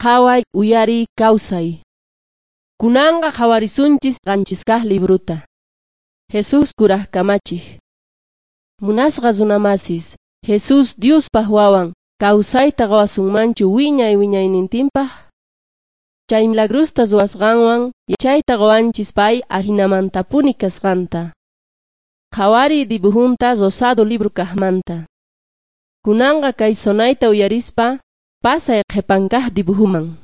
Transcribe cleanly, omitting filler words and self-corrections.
Qhaway, uyariy, kawsay. Kunanqa qhawarisunchis 7 kaq libruta. Jesús kuraj kamachiq. Munasqa runamasis, Jesús Diospaq wawan, kawsayta qowasunmanchu wiñay wiñaynintinpaq? Chay milagrusta ruwasqanwan yachayta qowanchis pay ahinamantapuni kasqanta. Qhawariy dibujunta rosado libro kaqmanta. Kunanqa kay sonayta uyarispa pasay qhipan kaq dibujuman.